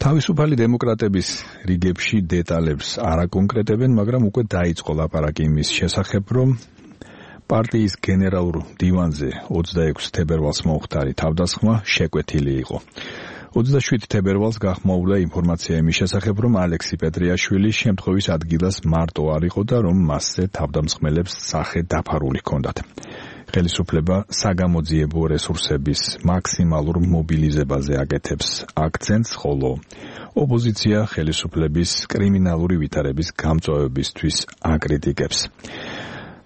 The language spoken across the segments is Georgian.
თავისუფალი დემოკრატების რიგებში დეტალებს არ აკონკრეტებენ, მაგრამ უკვე დაიწყო ლაპარაკი იმის შესახებ, რომ პარტიის გენერალურ დივანზე 26 თებერვალს მომხდარი თავდასხმა შეკვეთილი იყო. 27 თებერვალს გახმაურდა ინფორმაცია იმის შესახებ, რომ ალექსი პეტრიაშვილი შემთხვევის ადგილას მარტო არ იყო და რომ მასზე თავდამსხმელებს სახე დაფარული ჰქონდათ. ხელისუფლება საგამოძიებო რესურსების მაქსიმალურ მობილიზებაზე აკეთებს აქცენტს, ხოლო ოპოზიცია ხელისუფლების კრიმინალური ვითარების გამწვავებისთვის აკრიტიკებს.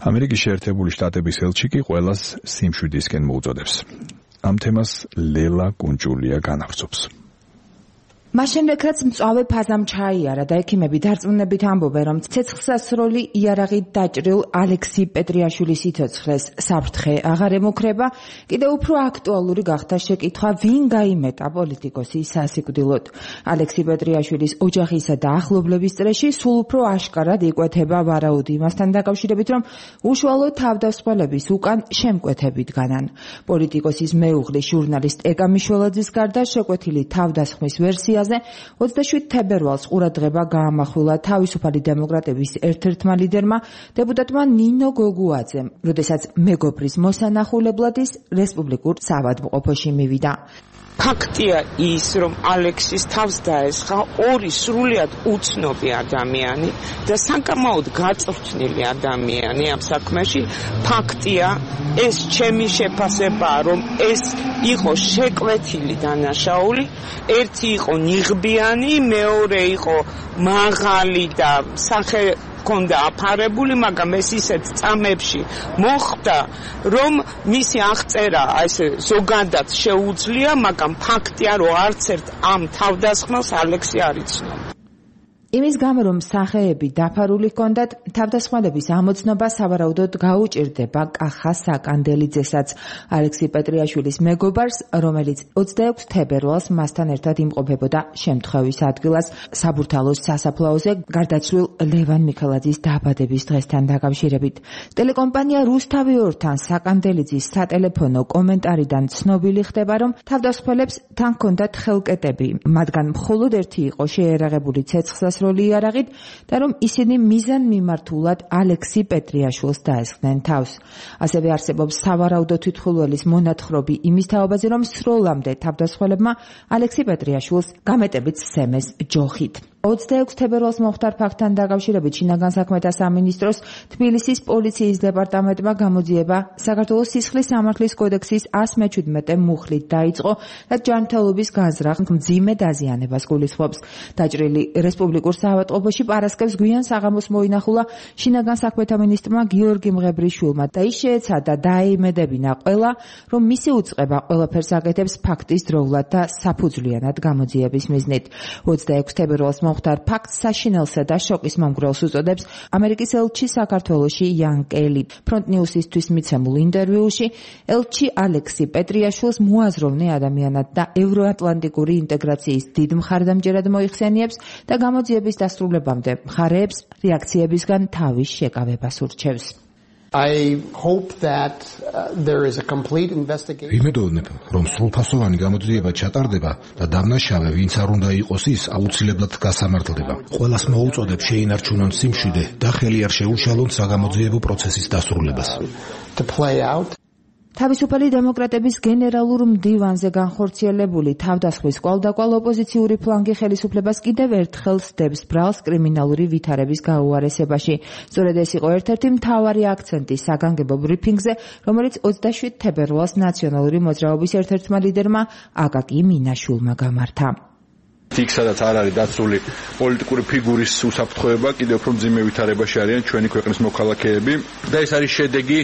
ამერიკის შეერთებული შტატების ელჩი კი ყველას სიმშვიდისკენ მოუწოდებს. ამ თემას ლელა კუნჭულია განავრცობს. მას შემდეგ, რაც მწვავე ფაზამ ჩაიარა და ექიმები დარწმუნებით ამბობენ, რომ ცეცხლსასროლი იარაღით დაჭრილ ალექსი პეტრიაშვილის სიცოცხლეს საფრთხე აღარ ემუქრება, კიდევ უფრო აქტუალური გახდა შეკითხვა, ვინ გაიმეტა პოლიტიკოსი სასიკვდილოდ. ალექსი პეტრიაშვილის ოჯახისა და ახლობლების წრეში სულ უფრო აშკარად იკვეთება ვარაუდი იმასთან დაკავშირებით, რომ უშუალო თავდასხმელების უკან შემკვეთებით განან. პოლიტიკოსის მეუღლის ჟურნალისტ ეკა მიშველაძის გარდა შეკვეთილი თავდასხმის ვერსიაზე 27 თებერვალს ყურადღება გაამახვილა თავისუფალი დემოკრატების ერთ-ერთმა ლიდერმა, დეპუტატმა ნინო გოგუაძემ, როდესაც მეგობრის მოსანახულებლად ის რესპუბლიკურ საავადმყოფოში მივიდა. ფაქტია ის, რომ ალექსის თავს დაესხა ორი სრულიად უცნობი ადამიანი და საკამაოდ გაწვრთნილი ადამიანი ამ საქმეში. ფაქტია, ეს ჩემი შეფასებაა, რომ ეს იყო შეკვეთილი დანაშაული. ერთი იყო ნიღბიანი, მეორე იყო მაღალი და სახე კონდა აფარებული, მაგრამ ეს ისეთ წამებში მოხდა, რომ მისი აღწერა ესე ზოგადად შეუძლია, მაგრამ ფაქტია, რომ არც ერთ ამ თავდასხმელს ალექსი არ იცნობდა. იმის გამო, რომ სახეები დაფარული ჰქონდათ, თავდასხმელების ამოცნობა სავარაუდოდ გაუჭირდება კახა საკანდელიძესაც, ალექსი პეტრიაშვილის მეგობარს, რომელიც 26 თებერვალს მასთან ერთად იმყოფებოდა შემთხვევის ადგილას საბურთალოს სასაფლაოზე გარდაცვლილ ლევან მიქელაძის დაბადების დღესთან დაკავშირებით. ტელეკომპანია რუსთავი ორთან საკანდელიძის სატელეფონო კომენტარიდან ცნობილი ხდება, რომ თავდასხმელებს თან ჰქონდათ ხელკეტები, მათგან მხოლოდ ერთი იყო შეერაღებული ცეცხლსასროლი იარაღით და რომ ისინი მიზანმიმართულად ალექსი პეტრიაშვილს დაესხნენ თავს. ასევე არსებობს სავარაუდო თვითმხილველის მონათხრობი იმის თაობაზე, რომ სროლამდე თავდასხმელებმა ალექსი პეტრიაშვილს გამეტებით სცემეს ჯოხით. 26 თებერვალს მომხდარ ფაქტთან დაკავშირებით შინაგან საქმეთა სამინისტროს თბილისის პოლიციის დეპარტამენტმა გამოძიება საქართველოს სისხლის სამართლის კოდექსის 117 მუხლით დაიწყო და ჯანმრთელობის განზრახ მძიმე დაზიანებას გულისხმობს. დაჭრილი რესპუბლიკურ საავადმყოფოში პარასკევს გვიან საღამოს მოინახულა შინაგან საქმეთა მინისტრმა გიორგი მღებრიშვილმა და ის შეეცადა დაეიმედებინა ყველა, რომ მისი უწყება ყველაფერს აკეთებს ფაქტის დროულად და საფუძვლიანად გამოძიების მიზნით. 26 თებერვალს მომხდარ ფაქტს საშინელსა და შოკის მომგვრელს უწოდებს ამერიკის ელჩი საქართველოში იან კელი. ფრონტ ნიუსისთვის მიცემულ ინტერვიუში ელჩი ალექსი პეტრიაშვილს მოაზროვნე ადამიანად და ევროატლანტიკური ინტეგრაციის დიდ მხარდამჭერად მოიხსენიებს და გამოძიების დასრულებამდე მხარეებს რეაქციებისგან თავის შეკავებას ურჩევს. I hope that there is a complete investigation. ვიმედოვნებ, რომ სრულფასოვანი გამოძიება ჩატარდება და დამნაშავე, ვინც არ უნდა იყოს ის, აუცილებლად გასამართლდება. ყველას მოუწოდებ შეინარჩუნონ სიმშვიდე და ხელი არ შეუშალონ საგამოძიებო პროცესის დასრულებას. To play out. თავისუფალი დემოკრატების გენერალურ მდივანზე განხორციელებული თავდასხმის კვალდაკვალ ოპოზიციური ფლანგი ხელისუფლებას კიდევ ერთხელ სდებს ბრალს კრიმინალური ვითარების გაუარესებაში. სწორედ ეს იყო ერთ-ერთი მთავარი აქცენტი საგანგებო ბრიფინგზე, რომელიც 27 თებერვალს ნაციონალური მოძრაობის ერთ-ერთმა ლიდერმა აკაკი მინაშვილმა გამართა. იქ სადაც არ არის დაცული პოლიტიკური ფიგურის უსაფრთხოება, კიდევ უფრო მძიმე ვითარებაში არიან ჩვენი ქვეყნის მოქალაქეები და ეს არის შედეგი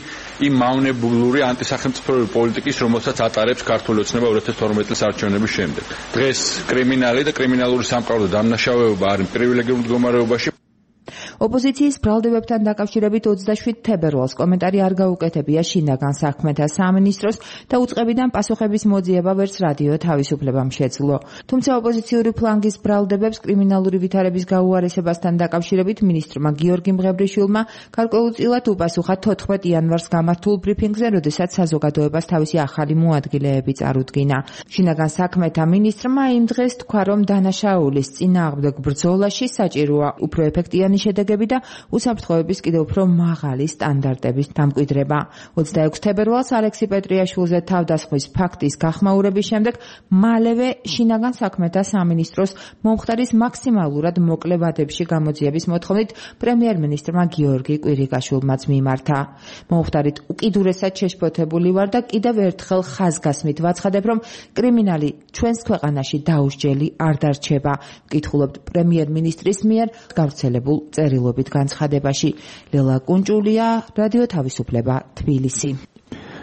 იმ მავნებლური ანტისახელმწიფოებრივი პოლიტიკის, რომელსაც ატარებს ქართული ოცნება 2012 წლის არჩევნების შემდეგ. დღეს კრიმინალი და კრიმინალური სამყარო და დამნაშავეობა არის პრივილეგიურ მდგომარეობაში. ოპოზიციის ბრალდებებთან დაკავშირებით 27 თებერვალს კომენტარი არ გაუკეთებია შინაგან საქმეთა სამინისტროს და უწყებიდან პასუხების მოძიება ვერც რადიო თავისუფლებამ შეძლო. თუმცა ოპოზიციური ფლანგის ბრალდებებს კრიმინალური ვითარების გაუარესებასთან დაკავშირებით მინისტრმა გიორგი მღებრიშვილმა გარკვეულწილად უპასუხა 14 იანვარს გამართულ ბრიფინგზე, როდესაც საზოგადოებას თავისი ახალი მოადგილეები წარუდგინა. შინაგან საქმეთა მინისტრმა იმ დღეს თქვა, რომ დანაშაულის წინააღმდეგ ბრძოლაში საჭიროა უფრო ეფექტიანი შედეგები და უსაფრთხოების კიდევ უფრო მაღალი სტანდარტების დამკვიდრება. 26 თებერვალს ალექსი პეტრიაშვილზე თავდასხმის ფაქტის გახმაურების შემდეგ მალევე შინაგან საქმეთა სამინისტროს მომხდარის მაქსიმალურად მოკლე ვადებში გამოძიების მოთხოვნით პრემიერ-მინისტრმა გიორგი კვირიკაშვილმაც მიმართა. მომხდარით უკიდურესად შეშფოთებული ვარ და კიდევ ერთხელ ხაზგასმით ვაცხადებ, რომ კრიმინალი ჩვენს ქვეყანაში დაუსჯელი არ დარჩება. ვკითხულობთ პრემიერ-მინისტრის მიერ გავრცელებულ წერილობით განცხადებაში. ლელა კუნჭულია, რადიო თავისუფლება, თბილისი.